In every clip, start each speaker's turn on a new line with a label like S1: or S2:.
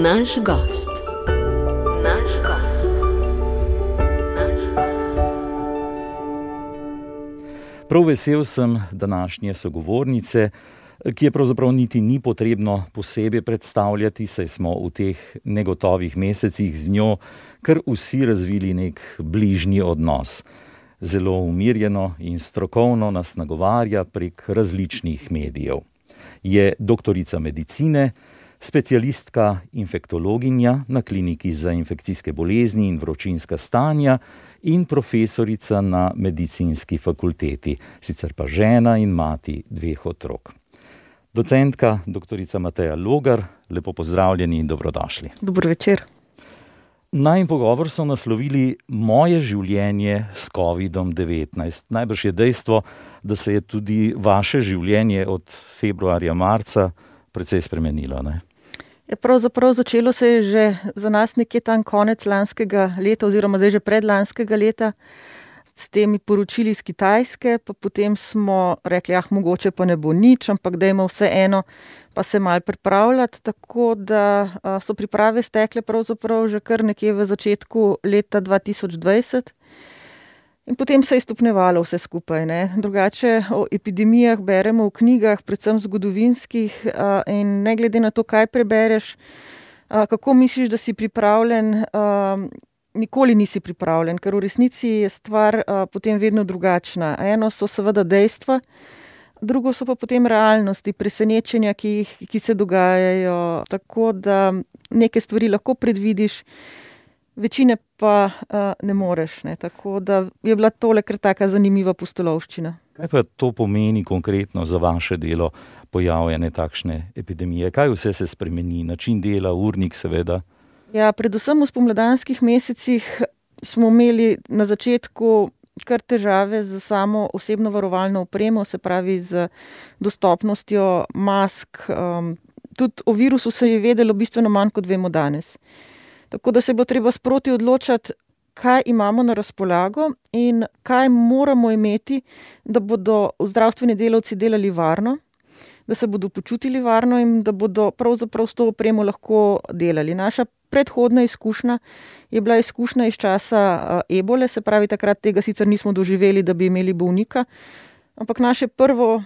S1: Naš gost.
S2: Prav vesel sem današnje sogovornice, ki je pravzaprav niti ni potrebno posebej predstavljati, saj smo v teh negotovih mesecih z njo kar vsi razvili nek bližnji odnos. Zelo umirjeno in strokovno nas nagovarja prek različnih medijev. Je doktorica medicine, specialistka infektologinja na kliniki za infekcijske bolezni in vročinska stanja in profesorica na medicinski fakulteti, sicer pa žena in mati 2 otrok. Docentka doktorica Mateja Logar, lepo pozdravljeni in dobrodošli.
S3: Dober večer.
S2: Najin pogovor so naslovili Moje življenje s COVID-19. Najbrž je dejstvo, da se je tudi vaše življenje od februarja, marca precej spremenilo, ne?
S3: Pravzaprav začelo se je že za nas nekje tam konec lanskega leta oziroma zdaj že predlanskega leta s temi poročili iz Kitajske, pa potem smo rekli, mogoče pa ne bo nič, ampak dajmo vseeno pa se malo pripravljati, tako da so priprave stekle pravzaprav že kar nekje v začetku leta 2020 in potem se je stopnjevalo vse skupaj, ne. Drugače o epidemijah beremo v knjigah, predvsem zgodovinskih, in ne glede na to, kaj prebereš, kako misliš, da si pripravljen, nikoli nisi pripravljen, ker v resnici je stvar potem vedno drugačna. Eno so seveda dejstva, drugo so pa potem realnosti, presenečenja, ki se dogajajo, tako da neke stvari lahko predvidiš, večine pa ne moreš, ne. Tako da je bila tole kar taka zanimiva pustolovščina.
S2: Kaj pa to pomeni konkretno za vaše delo, pojavljene takšne epidemije? Kaj vse se spremeni? Način dela, urnik seveda?
S3: Ja, predvsem v spomladanskih mesecih smo imeli na začetku kar težave z samo osebno varovalno opremo, se pravi z dostopnostjo mask. Tudi o virusu se je vedelo bistveno manj, kot vemo danes. Tako da se je bilo treba sproti odločati, kaj imamo na razpolago in kaj moramo imeti, da bodo zdravstveni delavci delali varno, da se bodo počutili varno in da bodo pravzaprav s to opremo lahko delali. Naša predhodna izkušnja je bila izkušnja iz časa ebole, se pravi takrat tega sicer nismo doživeli, da bi imeli bolnika, ampak naše prvo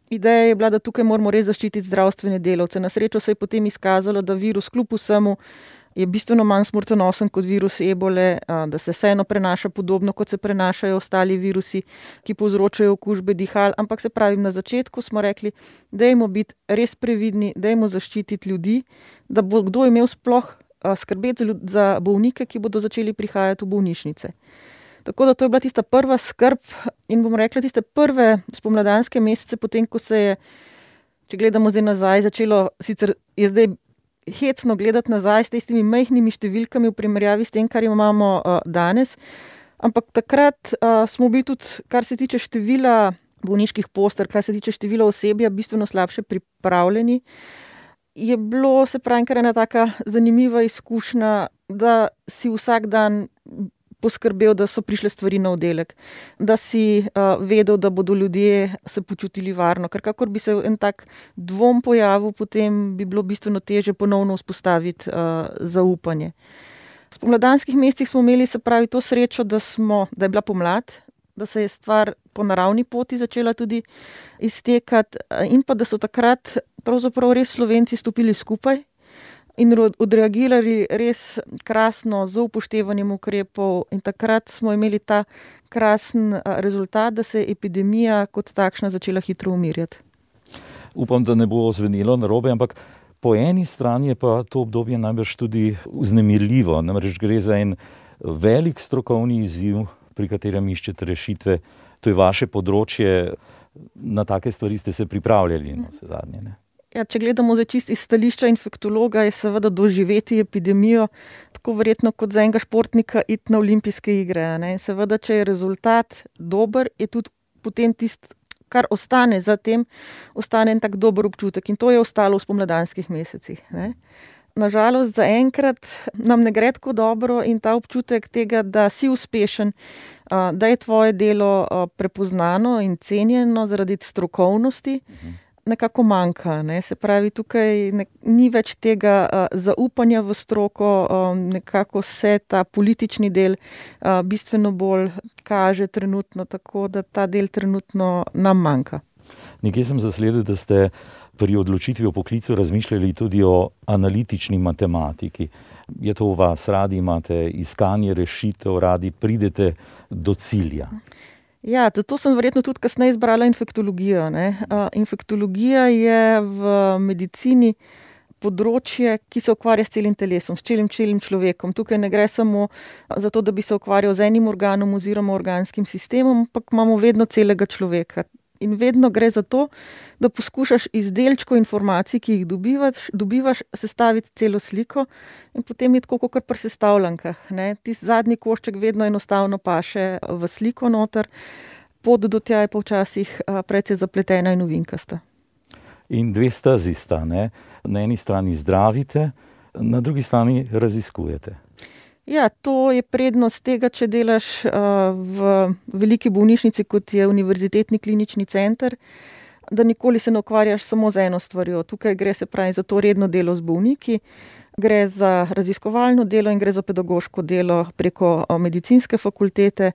S3: ideja je bila, da tukaj moramo res zaščititi zdravstvene delavce. Na srečo se je potem izkazalo, da virus kljub vsemu je bistveno manj smrtonosen kot virus ebole, da se vseeno prenaša podobno, kot se prenašajo ostali virusi, ki povzročajo okužbe dihal. Ampak se pravi, na začetku smo rekli, dajmo biti res previdni, dajmo zaščititi ljudi, da bo kdo imel sploh skrbeti za bolnike, ki bodo začeli prihajati v bolnišnice. Tako da to je bila tista prva skrb in bom rekla tiste prve spomladanske mesece, potem ko se je, če gledamo zdaj nazaj, začelo, sicer je zdaj hecno gledati nazaj s tistimi majhnimi številkami v primerjavi s tem, kar imamo danes, ampak takrat smo bili tudi, kar se tiče števila bolniških postelj, kar se tiče števila osebja, bistveno slabše pripravljeni. Je bilo, se pravi, kar ena taka zanimiva izkušnja, da si vsak dan poskrbel, da so prišle stvari na oddelek, da si vedel, da bodo ljudje se počutili varno, ker kakor bi se en tak dvom pojavil, potem bi bilo bistveno težje ponovno vzpostaviti zaupanje. V spomladanskih mesecih smo imeli, se pravi, to srečo, da je bila pomlad, da se je stvar po naravni poti začela tudi iztekati in pa da so takrat pravzaprav res Slovenci stopili skupaj in odreagirali res krasno z upoštevanjem ukrepov in takrat smo imeli ta krasen rezultat, da se je epidemija kot takšna začela hitro umirjati.
S2: Upam, da ne bo zvenelo narobe, ampak po eni strani je pa to obdobje najbrž tudi vznemirljivo. Namreč gre za en velik strokovni izziv, pri katerem iščete rešitve. To je vaše področje, na take stvari ste se pripravljali, no, vse zadnje, ne?
S3: Ja, če gledamo zdaj čisto iz stališča infektologa, je seveda doživeti epidemijo tako verjetno kot za enega športnika iti na olimpijske igre, ne? In seveda, če je rezultat dober, je tudi potem tisto, kar ostane za tem, ostane en tak dober občutek in to je ostalo v spomladanskih mesecih, ne? Nažalost, zaenkrat nam ne gre tako dobro in ta občutek tega, da si uspešen, da je tvoje delo prepoznano in cenjeno zaradi strokovnosti, nekako manjka. Ne? Se pravi, tukaj ni več tega zaupanja v stroko, nekako se ta politični del bistveno bolj kaže trenutno, tako da ta del trenutno nam manjka.
S2: Nekje sem zasledil, da ste pri odločitvi o poklicu razmišljali tudi o analitični matematiki. Je to v vas? Radi imate iskanje rešitev, radi pridete do cilja?
S3: Ja, to sem verjetno tudi kasneje izbrala infektologijo. Ne? Infektologija je v medicini področje, ki se ukvarja s celim telesom, s celim človekom. Tukaj ne gre samo za to, da bi se ukvarjal z enim organom oziroma organskim sistemom, ampak imamo vedno celega človeka. In vedno gre za to, da poskušaš iz delčkov informacij, ki jih dobivaš, sestaviti celo sliko in potem je tako kot pri sestavljankah. Tisti zadnji košček vedno enostavno paše v sliko noter, pot do tja je pa včasih precej zapletena in ovinkasta.
S2: In dve stezi sta, ne? Na eni strani zdravite, na drugi strani raziskujete.
S3: Ja, to je prednost tega, če delaš v veliki bolnišnici, kot je Univerzitetni klinični center, da nikoli se ne ukvarjaš samo z eno stvarjo. Tukaj gre se pravi za to redno delo z bolniki, gre za raziskovalno delo in gre za pedagoško delo preko medicinske fakultete,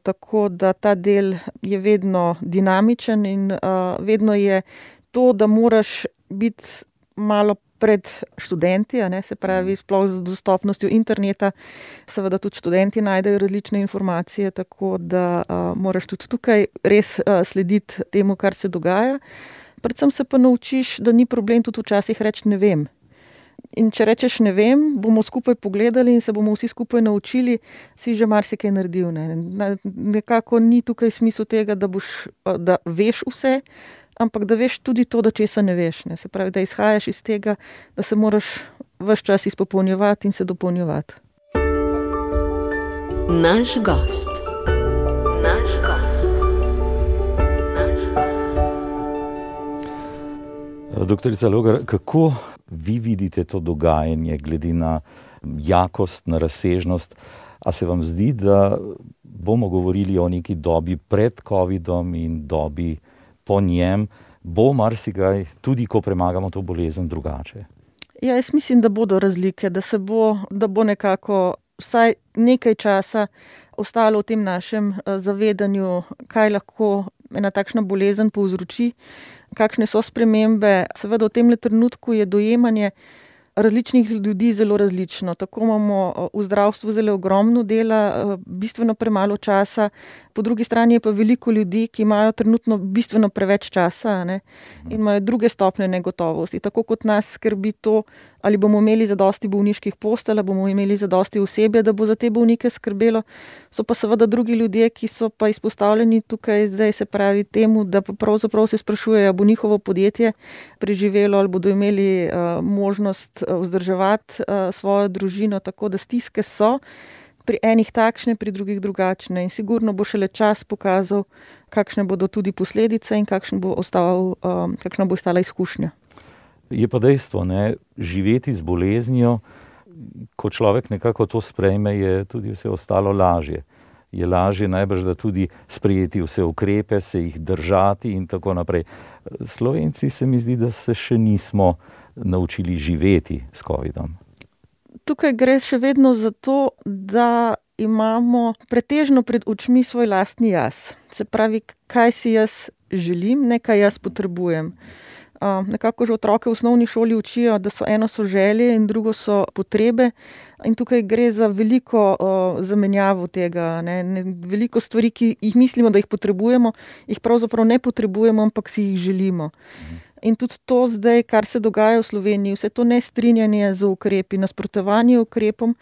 S3: tako da ta del je vedno dinamičen in vedno je to, da moraš biti malo pred študenti, se pravi sploh z dostopnostjo interneta, seveda tudi študenti najdejo različne informacije, tako da moraš tudi tukaj res slediti temu, kar se dogaja. Predvsem se pa naučiš, da ni problem tudi včasih reči ne vem. In če rečeš ne vem, bomo skupaj pogledali in se bomo vsi skupaj naučili, si že marsikaj naredil. Nekako ni tukaj smisel tega, da veš vse, ampak da veš tudi to, da česa ne veš. Se pravi, da izhajaš iz tega, da se moraš ves čas izpopolnjevati in se dopolnjevati.
S1: Naš gost.
S2: Doktorica Logar, kako vi vidite to dogajanje glede na jakost, na razsežnost? A se vam zdi, da bomo govorili o neki dobi pred covidom in dobi po njem, bo marsikaj, tudi ko premagamo to bolezen, drugače?
S3: Ja, jaz mislim, da bodo razlike, da bo nekako vsaj nekaj časa ostalo v tem našem zavedanju, kaj lahko ena takšna bolezen povzroči, kakšne so spremembe. Seveda v tem trenutku je dojemanje različnih ljudi zelo različno. Tako imamo v zdravstvu zelo ogromno dela, bistveno premalo časa, po drugi strani je pa veliko ljudi, ki imajo trenutno bistveno preveč časa, in imajo druge stopnje negotovosti. Tako kot nas skrbi to, ali bomo imeli zadosti bolniških postelj, ali bomo imeli zadosti osebja, da bo za te bolnike skrbelo, so pa seveda drugi ljudje, ki so pa izpostavljeni tukaj zdaj, se pravi temu, da pa pravzaprav se sprašujejo, bo njihovo podjetje preživelo ali bodo imeli možnost vzdrževati svojo družino, tako da stiske so pri enih takšne, pri drugih drugačne in sigurno bo šele čas pokazal, kakšne bodo tudi posledice in kakšna bo ostala izkušnja.
S2: Je pa dejstvo, živeti z boleznijo, ko človek nekako to sprejme, je tudi vse ostalo lažje. Je lažje najbrž, da tudi sprejeti vse ukrepe, se jih držati in tako naprej. Slovenci se mi zdi, da se še nismo naučili živeti s covidom.
S3: Tukaj gre še vedno za to, da imamo pretežno pred očmi svoj lastni jaz. Se pravi, kaj si jaz želim, ne kaj jaz potrebujem. Nekako že otroke v osnovni šoli učijo, da eno so želje in drugo so potrebe. In tukaj gre za veliko zamenjavo tega. Veliko stvari, ki jih mislimo, da jih potrebujemo, jih pravzaprav ne potrebujemo, ampak si jih želimo. In tudi to zdaj, kar se dogaja v Sloveniji, vse to nestrinjanje z ukrepi, nasprotovanje ukrepom,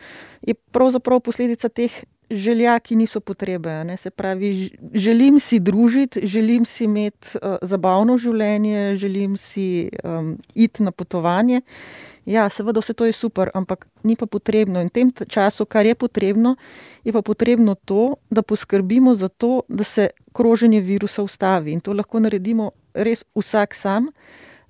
S3: je pravzaprav posledica teh želja, ki niso potrebe. Se pravi, želim si družiti, želim si imeti zabavno življenje, želim si iti na potovanje. Ja, seveda vse to je super, ampak ni pa potrebno. In v tem času, kar je potrebno, je pa potrebno to, da poskrbimo za to, da se kroženje virusa ustavi. In to lahko naredimo res vsak sam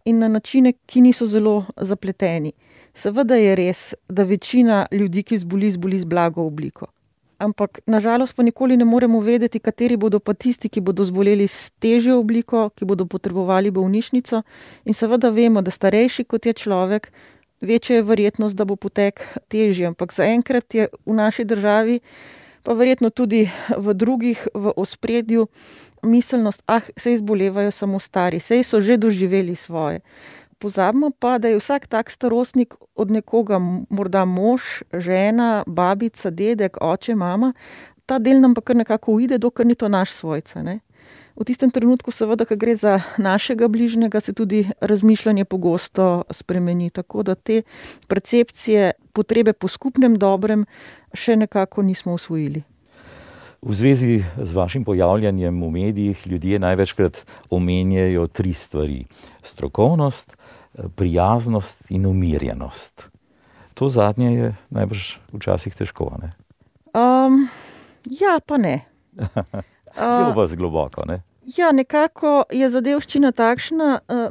S3: in na načine, ki niso zelo zapleteni. Seveda je res, da večina ljudi, ki zboli z blago obliko. ampak nažalost pa nikoli ne moremo vedeti, kateri bodo pa tisti, ki bodo zboleli s težjo obliko, ki bodo potrebovali bolnišnico. In seveda vemo, da starejši kot je človek, večja je verjetnost, da bo potek težji. Ampak zaenkrat je v naši državi, pa verjetno tudi v drugih, v ospredju miselnost, saj zbolevajo samo stari, saj so že doživeli svoje. Pozabimo pa, da je vsak tak starostnik od nekoga, morda mož, žena, babica, dedek, oče, mama. Ta del nam pa kar nekako uide, dokler ni to naš svojca, ne. V tistem trenutku seveda, ko gre za našega bližnjega, se tudi razmišljanje pogosto spremeni. Tako da te percepcije, potrebe po skupnem dobrem še nekako nismo usvojili.
S2: V zvezi z vašim pojavljanjem v medijih ljudje največkrat omenjajo 3 stvari. Strokovnost, prijaznost in umirjenost. To zadnje je najbrž včasih težko, ne?
S3: Ja, pa ne.
S2: Je v vas globoko, ne?
S3: Ja, nekako je zadevščina takšna,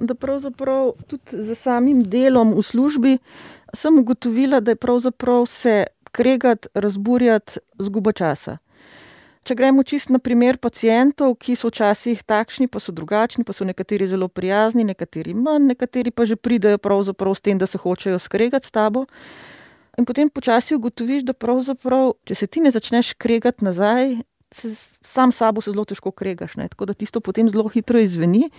S3: da pravzaprav tudi za samim delom v službi sem ugotovila, da je pravzaprav se kregati, razburjati izguba časa. Če gremo čisto na primer pacientov, ki so včasih takšni, pa so drugačni, pa so nekateri zelo prijazni, nekateri manj, nekateri pa že pridejo pravzaprav s tem, da se hočejo skregati s tabo. In potem počasi ugotoviš, da pravzaprav, če se ti ne začneš kregati nazaj, sam sabo se zelo težko kregaš, ne? Tako da tisto potem zelo hitro izzveni.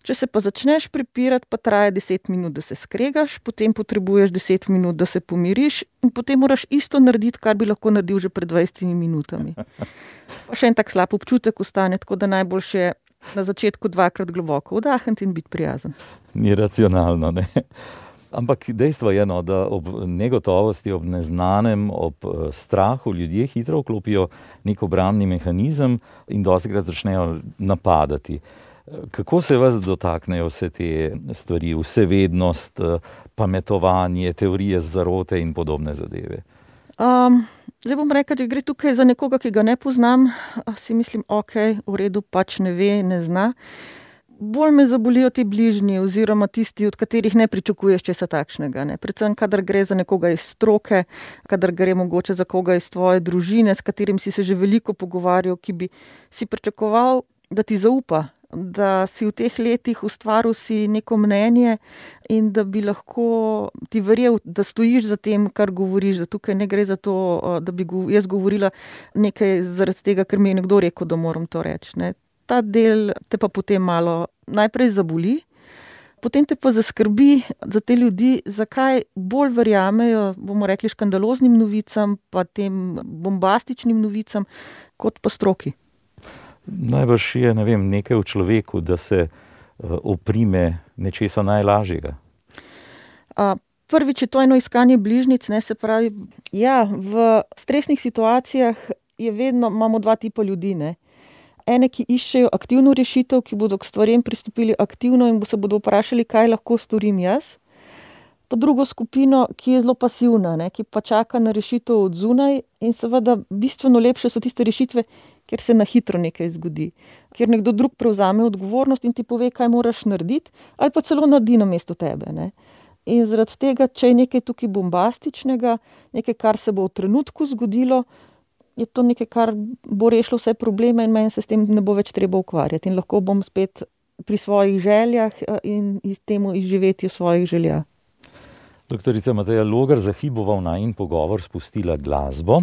S3: Če se pa začneš prepirati, pa traja 10 minut, da se skregaš, potem potrebuješ 10 minut, da se pomiriš in potem moraš isto narediti, kar bi lahko naredil že pred 20 minutami. Pa še en tak slab občutek ostane, tako da najboljše je na začetku 2-krat globoko vdahniti in biti prijazen.
S2: Ni racionalno, ne? Ampak dejstvo je, da ob negotovosti, ob neznanem, ob strahu ljudje hitro vklopijo nek obrambni mehanizem in dostikrat začnejo napadati. Kako se vas dotaknejo vse te stvari, vsevednost, pametovanje, teorije zarote in podobne zadeve?
S3: Zdaj bom rekla, če gre tukaj za nekoga, ki ga ne poznam, si mislim, v redu, pač ne ve, ne zna. Bolj me zabolijo ti bližnji oziroma tisti, od katerih ne pričakuješ česa takšnega, ne. Predvsem, kadar gre za nekoga iz stroke, kadar gre mogoče za koga iz tvoje družine, s katerim si se že veliko pogovarjal, ki bi si pričakoval, da ti zaupa, da si v teh letih ustvaril si neko mnenje in da bi lahko ti verjel, da stojiš za tem, kar govoriš, da tukaj ne gre za to, da bi jaz govorila nekaj zaradi tega, ker mi je nekdo rekel, da moram to reči, ne. Ta del te pa potem malo najprej zaboli, potem te pa zaskrbi za te ljudi, zakaj bolj verjamejo, bomo rekli, škandaloznim novicam, pa tem bombastičnim novicam, kot pa stroki.
S2: Najbrž je, nekaj v človeku, da se oprime nečesa najlažjega.
S3: Prvič je to eno iskanje bližnjic, ne, se pravi, ja, v stresnih situacijah imamo 2 tipa ljudi, ne. Ene, ki iščejo aktivno rešitev, ki bodo k stvarem pristopili aktivno in se bodo vprašali, kaj lahko storim jaz. Pa drugo skupino, ki je zelo pasivna, ne, ki pa čaka na rešitev od zunaj in seveda bistveno lepše so tiste rešitve, kjer se na hitro nekaj zgodi. Kjer nekdo drug prevzame odgovornost in ti pove, kaj moraš narediti, ali pa celo naredi namesto tebe, ne. In zaradi tega, če je nekaj tukaj bombastičnega, nekaj, kar se bo v trenutku zgodilo, je to nekaj, kar bo rešilo vse probleme in meni se s tem ne bo več treba ukvarjati. In lahko bom spet pri svojih željah in temu izživetju svojih želja.
S2: Doktorica Mateja Logar, za hip bova v najin pogovor spustila glasbo,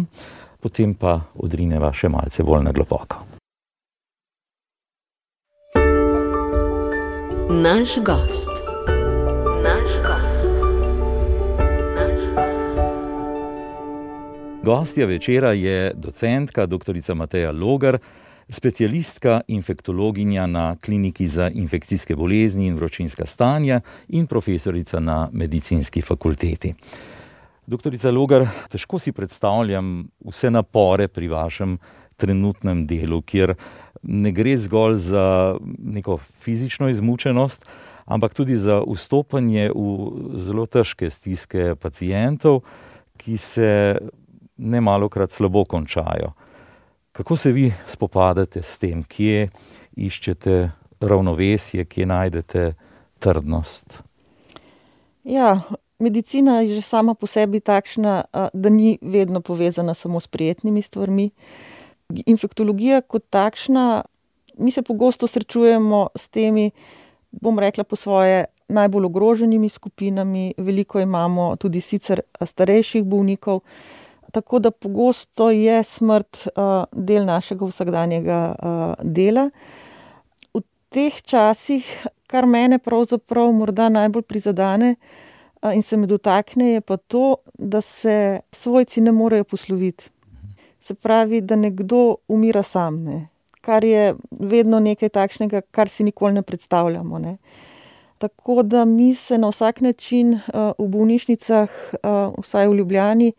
S2: potem pa odrineva še malce bolj na globoko.
S1: Naš gost.
S2: Gostja večera je docentka doktorica Mateja Logar, specialistka infektologinja na Kliniki za infekcijske bolezni in vročinska stanja in profesorica na Medicinski fakulteti. Doktorica Logar, težko si predstavljam vse napore pri vašem trenutnem delu, kjer ne gre zgolj za neko fizično izmučenost, ampak tudi za vstopanje v zelo težke stiske pacientov, ki se nemalokrat slabo končajo. Kako se vi spopadate s tem, kje iščete ravnovesje, kje najdete trdnost?
S3: Ja, medicina je že sama po sebi takšna, da ni vedno povezana samo s prijetnimi stvarmi. Infektologija kot takšna, mi se pogosto srečujemo s temi, bom rekla po svoje, najbolj ogroženimi skupinami. Veliko imamo tudi sicer starejših bolnikov, tako da pogosto je smrt del našega vsakdanjega dela. V teh časih, kar mene pravzaprav morda najbolj prizadene in se me dotakne, je pa to, da se svojci ne morejo posloviti. Se pravi, da nekdo umira sam, ne? Kar je vedno nekaj takšnega, kar si nikoli ne predstavljamo, ne? Tako da mi se na vsak način v bolnišnicah, vsaj v Ljubljani,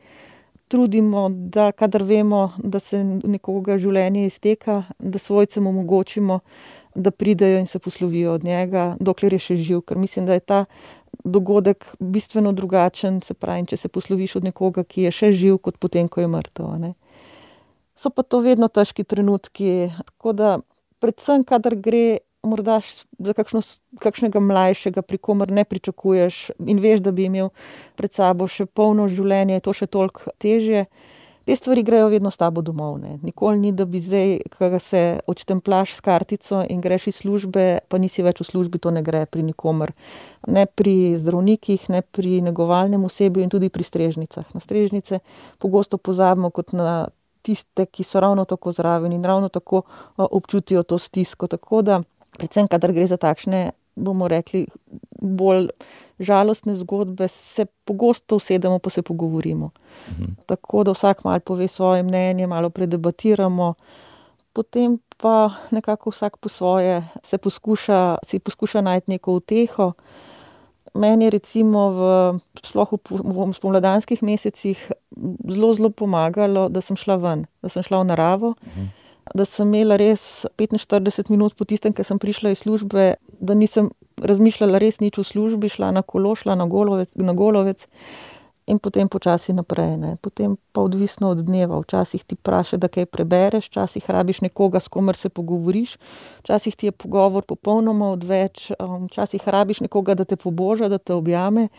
S3: trudimo, da kadar vemo, da se nekoga življenje izteka, da svojcem omogočimo, da pridejo in se poslovijo od njega, dokler je še živ, ker mislim, da je ta dogodek bistveno drugačen, se pravi, če se posloviš od nekoga, ki je še živ, kot potem, ko je mrtev, ne. So pa to vedno težki trenutki, tako da predvsem, kadar gre morda za kakšnega mlajšega, pri komer ne pričakuješ in veš, da bi imel pred sabo še polno življenje, je to še toliko težje. Te stvari grejo vedno s tabo domov, ne. Nikoli ni, da bi zdaj, ko se odštemplaš s kartico in greš iz službe, pa nisi več v službi, to ne gre pri nikomer. Ne pri zdravnikih, ne pri negovalnem osebju in tudi pri strežnicah. Na strežnice pogosto pozabimo kot na tiste, ki so ravno tako zraven in ravno tako občutijo to stisko. Tako da, predvsem, kadar gre za takšne, bomo rekli, bolj žalostne zgodbe, se pogosto usedemo pa se pogovorimo. Tako da vsak malo pove svoje mnenje, malo predebatiramo, potem pa nekako vsak po svoje si poskuša najti neko uteho. Meni je recimo sploh v spomladanskih mesecih zelo pomagalo, da sem šla ven, da sem šla v naravo, da sem imela res 45 minut po tistem, ko sem prišla iz službe, da nisem razmišljala res nič v službi, šla na kolo, šla na Golovec in potem počasi naprej, ne. Potem pa odvisno od dneva. Včasih ti praše, da kaj prebereš, včasih rabiš nekoga, s komer se pogovoriš, včasih ti je pogovor popolnoma odveč, včasih rabiš nekoga, da te poboža, da te objame,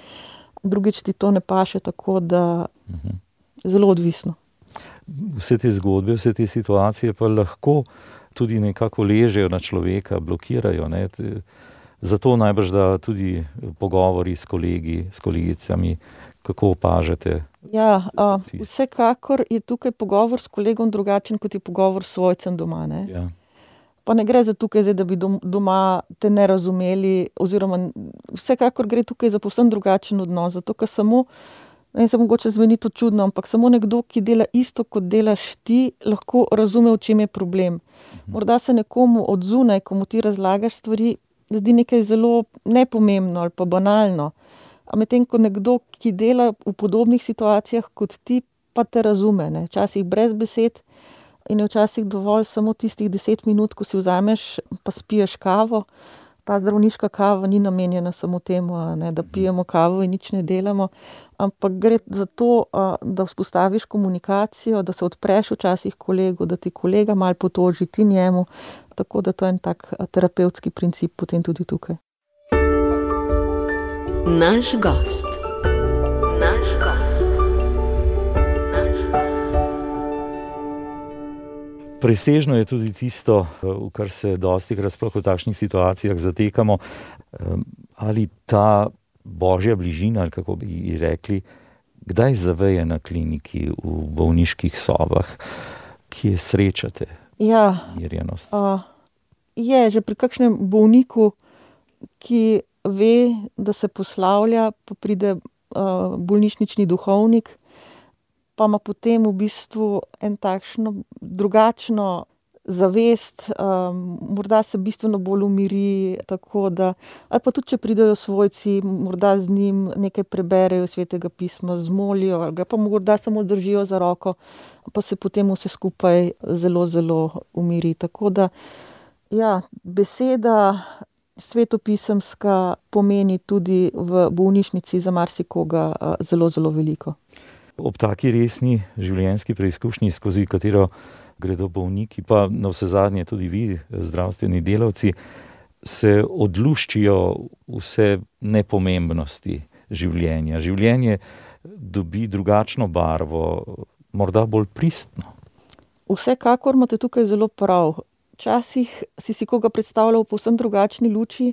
S3: drugič ti to ne paše, tako da zelo odvisno.
S2: Vse te zgodbe, vse te situacije pa lahko tudi nekako ležejo na človeka, blokirajo, ne. Zato najbrž da tudi pogovori s kolegi, s kolegicami, kako opažate?
S3: Ja, vsekakor je tukaj pogovor s kolegom drugačen, kot je pogovor s svojcem doma, ne.
S2: Ja.
S3: Pa ne gre za tukaj zdaj, da bi doma te ne razumeli, oziroma vsekakor gre tukaj za povsem drugačen odnos, zato ker samo, ne, se mogoče zveni to čudno, ampak samo nekdo, ki dela isto, kot delaš ti, lahko razume, v čem je problem. Morda se nekomu od zunaj, ko mu ti razlagaš stvari, zdi nekaj zelo nepomembno ali pa banalno. A medtem ko nekdo, ki dela v podobnih situacijah kot ti, pa te razume, ne. Včasih brez besed in je včasih dovolj samo tistih 10 minut, ko si vzameš pa spiješ kavo. Ta zdravniška kava ni namenjena samo temu, ne, da pijemo kavo in nič ne delamo, ampak gre za to, da vzpostaviš komunikacijo, da se odpreš včasih kolegu, da ti kolega malo potoži, ti njemu. Tako da to je en tak terapevtski princip potem tudi tukaj.
S1: Naš gost.
S2: Presežno je tudi tisto, v kar se dostikrat sploh v takšnih situacijah zatekamo, ali ta božja bližina, ali kako bi rekli, kdaj zaveje na kliniki, v bolniških sobah, kje srečate mirjenost?
S3: Je že pri kakšnem bolniku, ki ve, da se poslavlja, pa pride bolnišnični duhovnik, pa ima potem v bistvu en takšno drugačno zavest, morda se bistveno bolj umiri, tako da, ali pa tudi, če pridejo svojci, morda z njim nekaj preberejo Svetega pisma, zmolijo, ali ga pa morda samo držijo za roko, pa se potem vse skupaj zelo umiri. Tako da, ja, beseda svetopisemska pomeni tudi v bolnišnici za marsikoga zelo veliko.
S2: Ob taki resni življenjski preizkušnji, skozi katero gredo bolniki, pa navsezadnje tudi vi, zdravstveni delavci, se odluščijo vse nepomembnosti življenja. Življenje dobi drugačno barvo, morda bolj pristno.
S3: Vsekakor imate tukaj zelo prav. Včasih si koga predstavljal v povsem drugačni luči,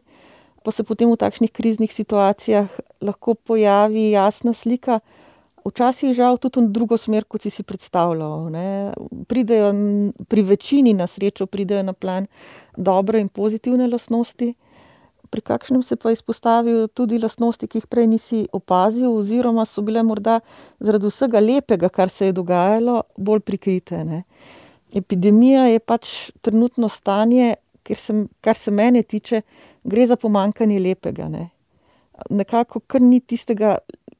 S3: pa se potem v takšnih kriznih situacijah lahko pojavi jasna slika. Včasih žal tudi v drugo smer, kot si predstavljal. Pridejo, pri večini na srečo pridejo na plan dobre in pozitivne lastnosti, pri kakšnem se pa izpostavijo tudi lastnosti, ki jih prej nisi opazil, oziroma so bile morda zaradi vsega lepega, kar se je dogajalo, bolj prikrite. Epidemija je pač trenutno stanje, kar se mene tiče, gre za pomanjkanje lepega. Nekako kar ni tistega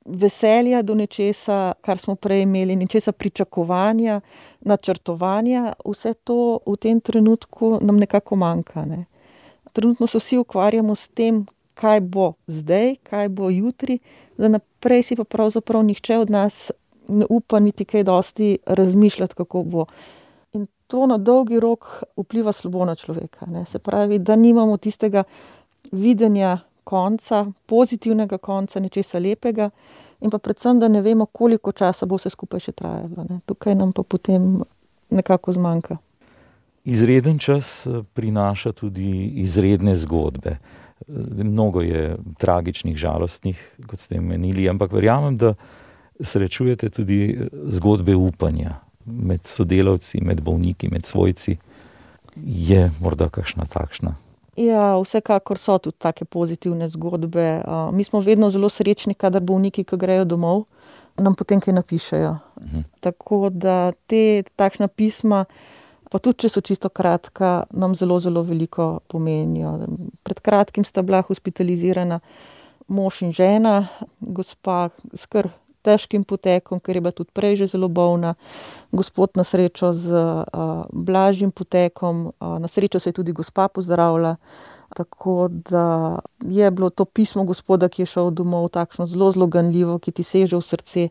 S3: veselja do nečesa, kar smo prej imeli, nečesa pričakovanja, načrtovanja, vse to v tem trenutku nam nekako manjka. Trenutno se vsi ukvarjamo s tem, kaj bo zdaj, kaj bo jutri, da naprej si pa pravzaprav nihče od nas ne upa niti kaj dosti razmišljati, kako bo. In to na dolgi rok vpliva slabo na človeka. Se pravi, da nimamo tistega videnja konca, pozitivnega konca, nečesa lepega, in pa predvsem, da ne vemo, koliko časa bo vse skupaj še trajalo. Tukaj nam pa potem nekako zmanjka.
S2: Izreden čas prinaša tudi izredne zgodbe. Mnogo je tragičnih, žalostnih, kot ste menili, ampak verjamem, da srečujete tudi zgodbe upanja med sodelavci, med bolniki, med svojci. Je morda kakšna takšna?
S3: Ja, vsekakor so tudi take pozitivne zgodbe. Mi smo vedno zelo srečni, kadar bolniki, ki grejo domov, nam potem kaj napišejo. Tako da takšna pisma, pa tudi če so čisto kratka, nam zelo, zelo veliko pomenijo. Pred kratkim sta bila hospitalizirana mož in žena, gospa s kar težkim potekom, ker je bila tudi prej že zelo bolna, gospod na srečo z blažjim potekom, na srečo se je tudi gospa pozdravila, tako da je bilo to pismo gospoda, ki je šel domov, takšno zelo, zelo ganljivo, ki ti seže v srce.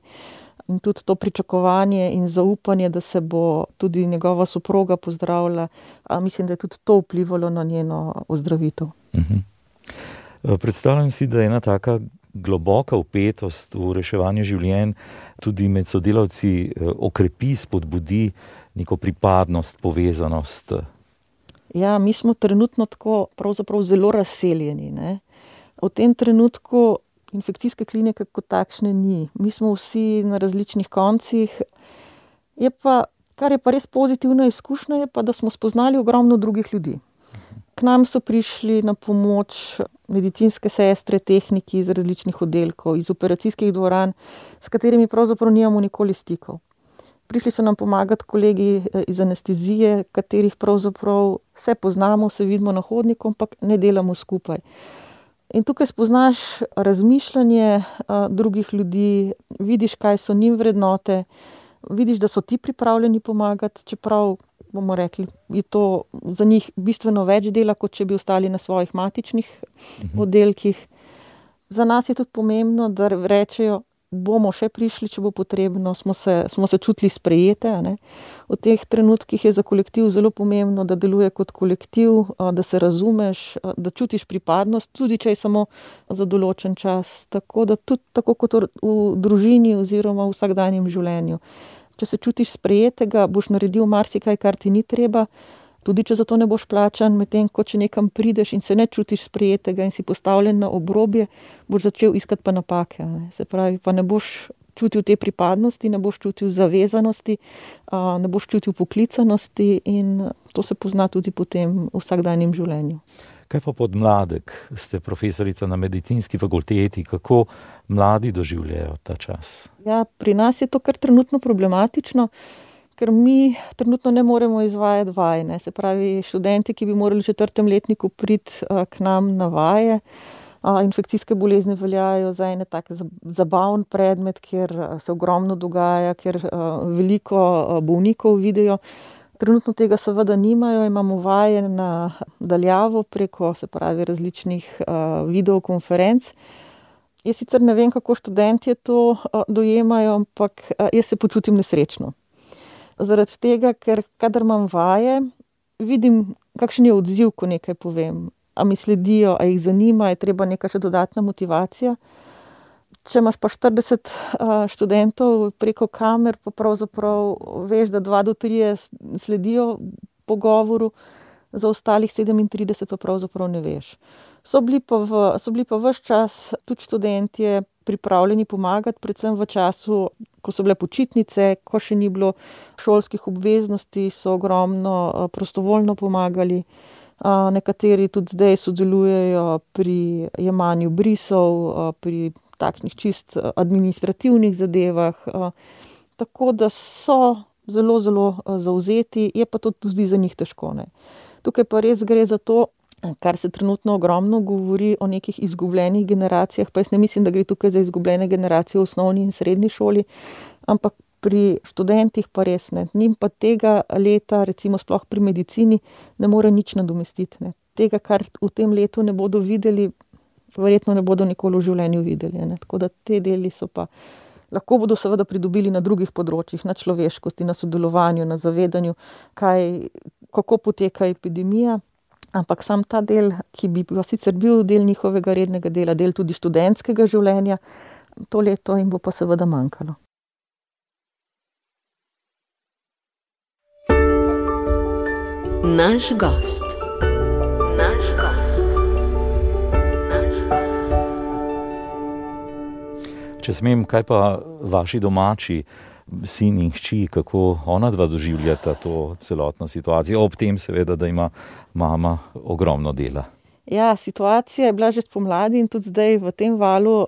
S3: In tudi to pričakovanje in zaupanje, da se bo tudi njegova soproga pozdravila, mislim, da je tudi to vplivalo na njeno ozdravitev.
S2: Predstavljam si, da je ena taka globoka vpetost v reševanje življenj tudi med sodelavci okrepi, spodbudi neko pripadnost, povezanost.
S3: Ja, mi smo trenutno tako pravzaprav zelo razseljeni. V tem trenutku infekcijske klinike kot takšne ni. Mi smo vsi na različnih koncih. Kar je pa res pozitivna izkušnja, je pa, da smo spoznali ogromno drugih ljudi. K nam so prišli na pomoč medicinske sestre, tehniki iz različnih oddelkov, iz operacijskih dvoran, s katerimi pravzaprav nimamo nikoli stikov. Prišli so nam pomagati kolegi iz anestezije, katerih pravzaprav se poznamo, se vidimo na hodniku, ampak ne delamo skupaj. In tukaj spoznaš razmišljanje drugih ljudi, vidiš, kaj so njim vrednote, vidiš, da so ti pripravljeni pomagati, čeprav bomo rekli, je to za njih bistveno več dela, kot če bi ostali na svojih matičnih oddelkih. Za nas je tudi pomembno, da rečejo, bomo še prišli, če bo potrebno, smo se čutili sprejete. V teh trenutkih je za kolektiv zelo pomembno, da deluje kot kolektiv, da se razumeš, da čutiš pripadnost, tudi če je samo za določen čas. Tako da tudi tako kot v družini oziroma v vsakdanjem življenju. Če se čutiš sprejetega, boš naredil marsikaj, kar ti ni treba, tudi če za to ne boš plačan, medtem ko če nekam prideš in se ne čutiš sprejetega in si postavljen na obrobje, boš začel iskati pa napake. Se pravi, pa ne boš čutil te pripadnosti, ne boš čutil zavezanosti, ne boš čutil poklicanosti in to se pozna tudi potem v vsakdanjem življenju.
S2: Kaj pa podmladek? Ste profesorica na medicinski fakulteti, kako mladi doživljajo ta čas?
S3: Ja, pri nas je to kar trenutno problematično, ker mi trenutno ne moremo izvajati vaj. Se pravi, študenti, ki bi morali v 4. letniku priti k nam na vaje, infekcijske bolezni veljajo za en tak zabaven predmet, kjer se ogromno dogaja, kjer veliko bolnikov vidijo. Trenutno tega seveda nimajo, imamo vaje na daljavo preko, se pravi, različnih videokonferenc. Jaz sicer ne vem, kako študentje to dojemajo, ampak jaz se počutim nesrečno. Zaradi tega, ker kadar imam vaje, vidim, kakšen je odziv, ko nekaj povem. A mi sledijo, a jih zanima, je treba neka še dodatna motivacija. Če imaš pa 40 študentov preko kamer, pa pravzaprav veš, da 2 do 3 sledijo pogovoru, za ostalih 37 pa pravzaprav ne veš. So bili pa ves čas tudi študentje pripravljeni pomagati, predvsem v času, ko so bile počitnice, ko še ni bilo šolskih obveznosti, so ogromno prostovoljno pomagali. Nekateri tudi zdaj sodelujejo pri jemanju brisov, pri takšnih čist administrativnih zadevah. Tako da so zelo, zelo zavzeti, je pa to tudi za njih težko, ne. Tukaj pa res gre za to, kar se trenutno ogromno govori o nekih izgubljenih generacijah, pa jaz ne mislim, da gre tukaj za izgubljene generacije v osnovni in srednji šoli, ampak pri študentih pa res ne. Njim pa tega leta, recimo sploh pri medicini, ne more nič nadomestiti, ne. Tega, kar v tem letu ne bodo videli, verjetno ne bodo nikoli v življenju videli, ne. Tako da te deli so pa, lahko bodo seveda pridobili na drugih področjih, na človeškosti, na sodelovanju, na zavedanju, kako poteka epidemija. Ampak sam ta del, ki bi pa sicer bil del njihovega rednega dela, del tudi študentskega življenja, to leto jim bo pa seveda manjkalo.
S1: Naš gost.
S2: Če smem, kaj pa vaši domači sin in hči, kako ona dva doživljata to celotno situacijo, ob tem seveda, da ima mama ogromno dela?
S3: Ja, situacija je bila že spomladi in tudi zdaj v tem valu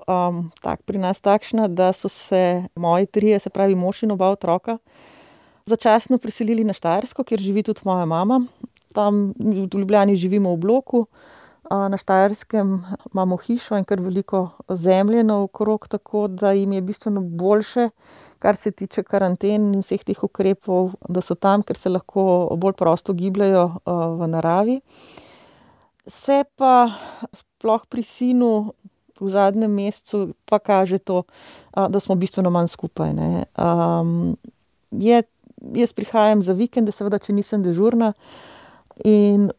S3: pri nas takšna, da so se moji 3, se pravi mož in oba otroka, začasno preselili na Štajersko, kjer živi tudi moja mama. Tam v Ljubljani živimo v bloku, na Štajerskem imamo hišo in kar veliko zemlje naokrog, tako da jim je bistveno boljše, kar se tiče karanten in vseh teh ukrepov, da so tam, ker se lahko bolj prosto gibljajo v naravi. Se pa sploh pri sinu v zadnjem mesecu pa kaže to, da smo bistveno manj skupaj, ne. Jaz prihajam za vikende, seveda, če nisem dežurna, in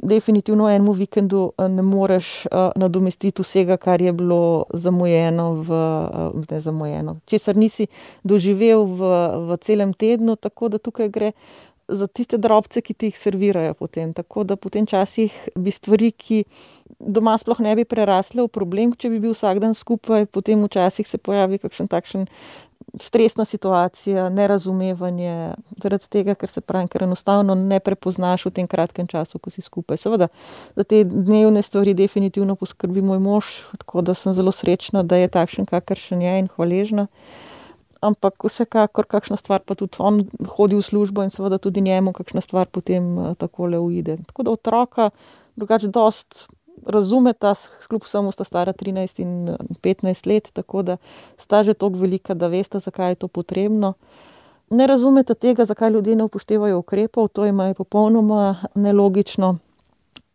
S3: definitivno enemu vikendu ne moreš nadomestiti vsega, kar je bilo česar nisi doživel v celem tednu, tako da tukaj gre za tiste drobce, ki ti jih servirajo potem. Tako da potem časih bi stvari, ki doma sploh ne bi prerasle v problem, če bi bil vsak dan skupaj, potem včasih se pojavi kakšen takšen stresna situacija, nerazumevanje, zaradi tega, ker enostavno ne prepoznaš v tem kratkem času, ko si skupaj. Seveda, za te dnevne stvari definitivno poskrbi moj mož, tako da sem zelo srečna, da je takšen, kakršen je, in hvaležna. Ampak vsekakor kakšna stvar pa tudi on hodi v službo in seveda tudi njemu kakšna stvar potem takole uide. Tako da otroka drugače dosti razumeta, kljub vsemu sta stara 13 in 15 let, tako da sta že toliko velika, da vesta, zakaj je to potrebno. Ne razumeta tega, zakaj ljudje ne upoštevajo ukrepov, to jim je popolnoma nelogično.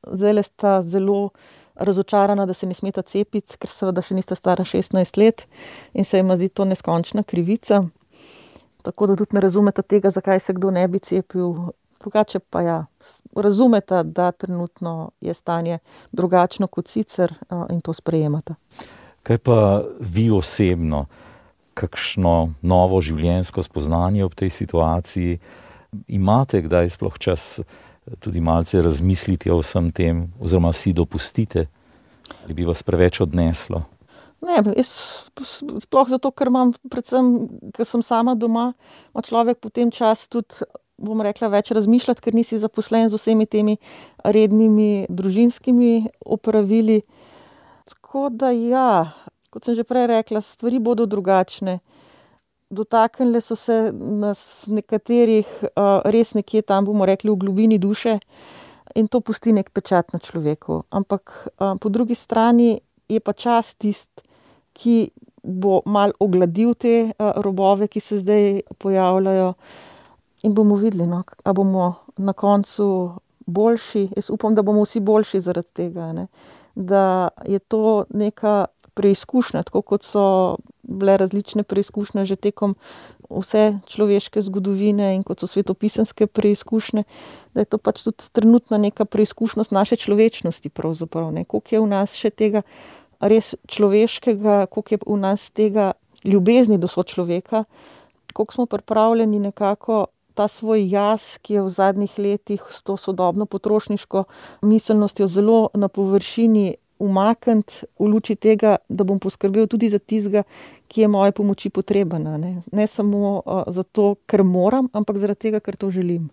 S3: Zdajle sta zelo razočarana, da se ne smeta cepiti, ker seveda še nista stara 16 let in se jima zdi to neskončna krivica. Tako da tudi ne razumeta tega, zakaj se kdo ne bi cepil. Drugače pa ja, razumeta, da trenutno je stanje drugačno kot sicer in to sprejemata.
S2: Kaj pa vi osebno, kakšno novo življenjsko spoznanje ob tej situaciji? Imate kdaj sploh čas tudi malce razmisliti o vsem tem, oziroma si dopustite, ali bi vas preveč odneslo?
S3: Ne, jaz sploh zato, ker imam predvsem, ker sem sama doma, ima človek potem čas tudi, bom rekla, več razmišljati, ker nisi zaposlen z vsemi temi rednimi družinskimi opravili. Tako da ja, kot sem že prej rekla, stvari bodo drugačne. Dotaknile so se nas nekaterih res nekje tam, bomo rekli, v globini duše in to pusti nek pečat na človeku. Ampak po drugi strani je pa čas tisti, ki bo malo ogladil te robove, ki se zdaj pojavljajo. In bomo videli, no, a bomo na koncu boljši. Jaz upam, da bomo vsi boljši zaradi tega, ne. Da je to neka preizkušnja, tako kot so bile različne preizkušnje že tekom vse človeške zgodovine in kot so svetopisemske preizkušnje, da je to pač tudi trenutna neka preizkušnjost naše človečnosti pravzaprav, ne. Koliko je v nas še tega res človeškega, koliko je v nas tega ljubezni do sočloveka, koliko smo pripravljeni nekako ta svoj jaz, ki je v zadnjih letih s to sodobno potrošniško miselnostjo zelo na površini, umakniti v luči tega, da bom poskrbel tudi za tistega, ki je moje pomoči potreben. Ne samo zato, ker moram, ampak zaradi tega, ker to želim.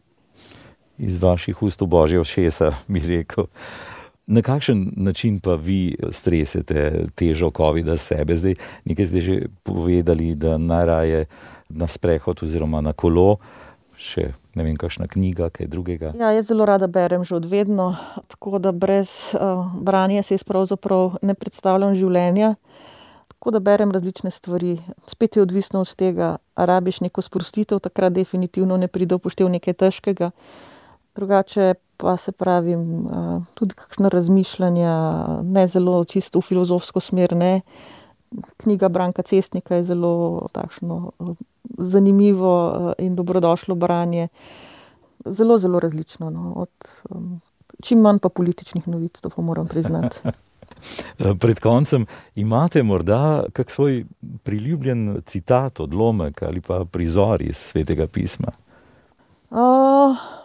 S2: Iz vaših ust v božje ušesa, bi rekel. Na kakšen način pa vi stresete težo covida sebe? Zdaj, nekaj ste že povedali, da najraje na sprehod oziroma na kolo, še ne vem, kakšna knjiga, kaj drugega. Ja,
S3: jaz zelo rada berem že od vedno, tako da brez branja se jaz pravzaprav ne predstavljam življenja. Tako da berem različne stvari. Spet je odvisno od tega, a rabiš neko sprostitev, takrat definitivno ne pride v poštev nekaj težkega. Drugače pa se pravim, tudi kakšno razmišljanja, ne zelo čisto v filozofsko smer, ne. Knjiga Branka Cestnika je zelo takšno zanimivo in dobrodošlo branje. Zelo, zelo različno. Od čim manj pa političnih novic, to pa moram priznati.
S2: Pred koncem imate morda kak svoj priljubljen citat, odlomek ali pa prizor iz Svetega pisma?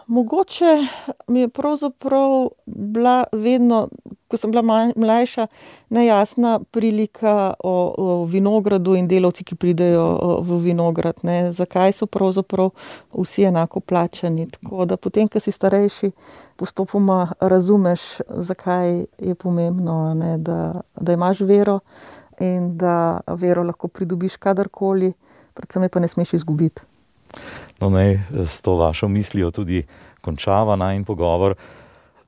S3: Mogoče mi je pravzaprav bila vedno, ko sem bila mlajša, nejasna prilika o vinogradu in delavci, ki pridejo v vinograd. Ne. Zakaj so pravzaprav vsi enako plačani? Tako da potem, ko si starejši, postopoma razumeš, zakaj je pomembno, ne, da imaš vero in da vero lahko pridobiš kadarkoli, predvsem je pa ne smeš izgubiti.
S2: No, naj s to vašo mislijo tudi končava najin pogovor.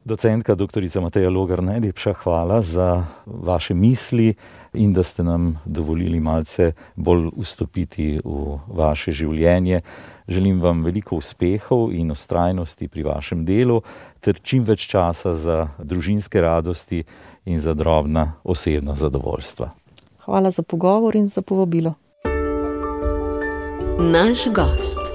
S2: Docentka doktorica Mateja Logar, najlepša hvala za vaše misli in da ste nam dovolili malce bolj vstopiti v vaše življenje. Želim vam veliko uspehov in vztrajnosti pri vašem delu ter čim več časa za družinske radosti in za drobna osebna zadovoljstva.
S3: Hvala za pogovor in za povabilo.
S1: Naš gost.